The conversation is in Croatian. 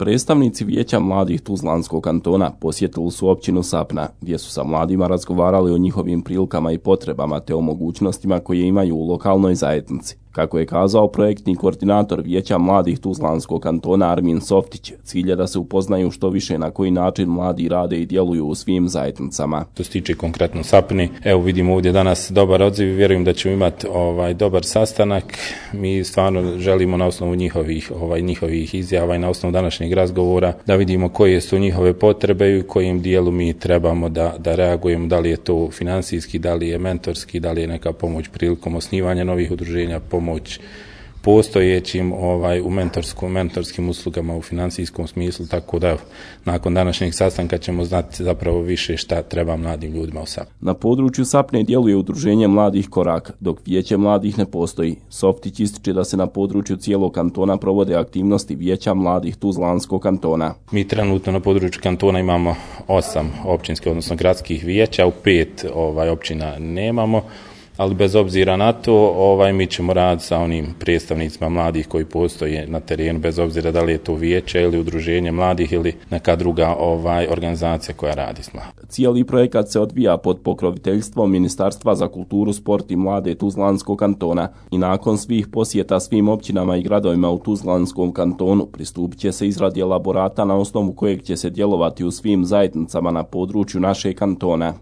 Predstavnici Vijeća mladih Tuzlanskog kantona posjetili su općinu Sapna, gdje su sa mladima razgovarali o njihovim prilikama i potrebama te o mogućnostima koje imaju u lokalnoj zajednici. Kako je kazao projektni koordinator Vijeća mladih Tuzlanskog kantona Armin Softić, cilj je da se upoznaju što više na koji način mladi rade i djeluju u svim zajednicama. To se tiče konkretno Sapni, evo vidimo ovdje danas dobar odziv i vjerujem da ćemo imati dobar sastanak. Mi stvarno želimo na osnovu njihovih izjava i na osnovu današnjeg razgovora da vidimo koje su njihove potrebe i u kojem dijelu mi trebamo da reagujemo, da li je to financijski, da li je mentorski, da li je neka pomoć prilikom osnivanja novih udruženja, pomoć postojećim u mentorskim uslugama u financijskom smislu, tako da nakon današnjeg sastanka ćemo znati zapravo više šta treba mladim ljudima u Sapni. Na području Sapne djeluje udruženje mladih Korak, dok Vijeće mladih ne postoji. Softić ističe da se na području cijelog kantona provode aktivnosti Vijeća mladih Tuzlanskog kantona. Mi trenutno na području kantona imamo 8 općinskih, odnosno gradskih vijeća, u 5 općina nemamo. Ali bez obzira na to, mi ćemo raditi sa onim predstavnicima mladih koji postoje na terenu, bez obzira da li je to vijeće ili udruženje mladih ili neka druga organizacija koja radi s mladima. Cijeli projekat se odvija pod pokroviteljstvom Ministarstva za kulturu, sport i mlade Tuzlanskog kantona i nakon svih posjeta svim općinama i gradovima u Tuzlanskom kantonu pristupit će se izradi elaborata na osnovu kojeg će se djelovati u svim zajednicama na području našeg kantona.